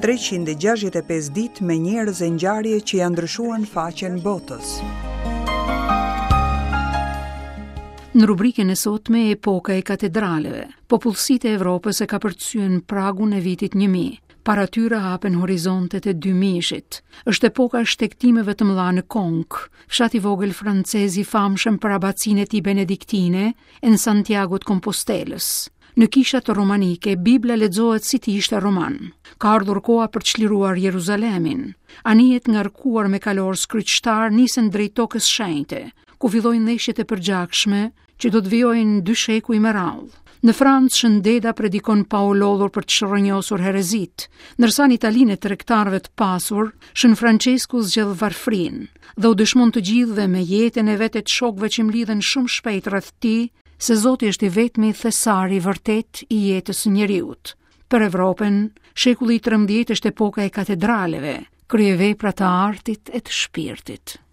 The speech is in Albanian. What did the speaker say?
365 ditë me njerëz e ngjarje që ia ndryshuan faqen botës. Në rubrikën e sotme Epoka e katedraleve, popullsitë e Evropës e kapërcyen pragun e vitit 1000. Para tyre hapen horizontet e dymijëshit. Është epoka e shtegtimeve të mëdha në Konkë, fshat i vogël francez i famshëm për abacinë e tij benediktine e në Santiago të Kompostelës. Në kishat romanike, Bibla lexohet si të ishte roman. Ka ardhur koha për të çliruar Jeruzalemin. Anijet ngarkuar me kalorës kryqtarë nisen drejt tokës shenjte, ku fillojnë ndeshjet e përgjakshme që do të vijojnë dy shekuj me radhë. Në Francë, Shën Deda predikon pa u lodhur për të çrrënjosur herezitë, ndërsa në Italinë e tregtarëve të pasur, Shën Françesku zgjedh varfërinë dhe u dëshmon të gjithëve me jetën e vet e të shokëve që mblidhen shumë shpejt rreth tij se Zoti është i vetmi thesar i vërtetë i jetës së njeriut. Për Evropën, shekulli i 13 është epoka e katedraleve, kryevepra të artit e të shpirtit.